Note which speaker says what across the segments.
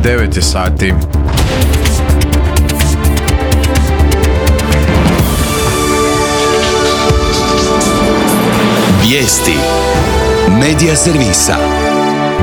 Speaker 1: 9 je sati.
Speaker 2: Vijesti Medija servisa.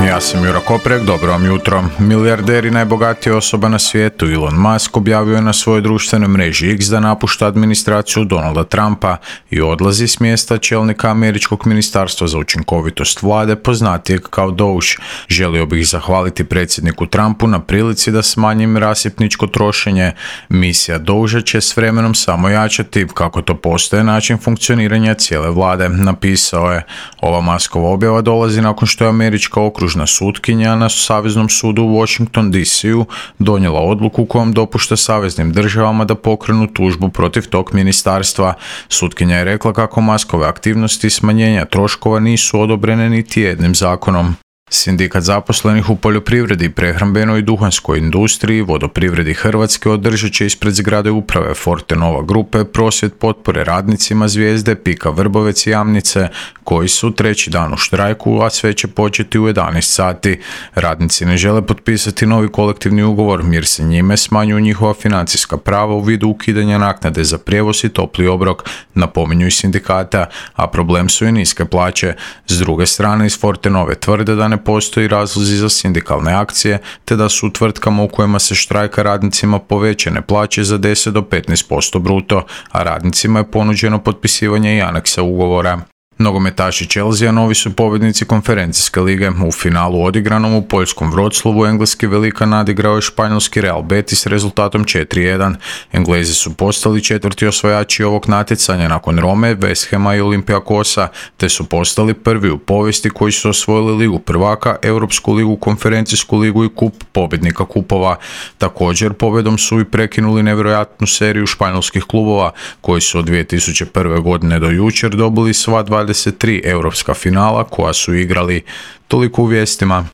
Speaker 1: Ja sam Jura Koprek, dobro vam jutro. Milijarder i najbogatija osoba na svijetu Elon Musk objavio je na svojoj društvenoj mreži X da napušta administraciju Donalda Trumpa i odlazi s mjesta čelnika Američkog ministarstva za učinkovitost vlade, poznatijeg kao DOGE. Želio bih zahvaliti predsjedniku Trumpu na prilici da smanjim rasipničko trošenje. Misija DOGE će s vremenom samo jačati, kako to postaje način funkcioniranja cijele vlade, napisao je. Ova Muskova objava dolazi nakon što je američka okružna sutkinja na Saveznom sudu u Washington DC-u donijela odluku kojom dopušta saveznim državama da pokrenu tužbu protiv tog ministarstva. Sutkinja je rekla kako Muskove aktivnosti smanjenja troškova nisu odobrene niti jednim zakonom. Sindikat zaposlenih u poljoprivredi, prehrambenoj i duhanskoj industriji, Vodoprivredi Hrvatske održat će ispred zgrade uprave Fortenova grupe prosvjed potpore radnicima Zvijezde, Pika Vrbovec i Jamnice, koji su treći dan u štrajku, a sve će početi u 11 sati. Radnici ne žele potpisati novi kolektivni ugovor jer se njime smanjuju njihova financijska prava u vidu ukidanja naknade za prijevoz i topli obrok, napominju iz sindikata, a problem su i niske plaće. S druge strane, iz Fortenove tvrde da ne postoji razlozi za sindikalne akcije, te da su u tvrtkama u kojima se štrajka radnicima povećane plaće za 10 do 15% bruto, a radnicima je ponuđeno potpisivanje i aneksa ugovora. Nogometaši Chelsea novi su pobjednici konferencijske lige. U finalu odigranom u poljskom Wroclawu engleski velikan nadigrao je španjolski Real Betis s rezultatom 4:1. Englezi su postali četvrti osvajači ovog natjecanja nakon Rome, West Hama i Olympiakosa, te su postali prvi u povijesti koji su osvojili ligu prvaka, Europsku ligu, konferencijsku ligu i kup pobjednika kupova. Također pobjedom su i prekinuli nevjerojatnu seriju španjolskih klubova koji su od 2001. godine do jučer dobili sva 23 europska finala koja su igrali. Toliko u vijestima.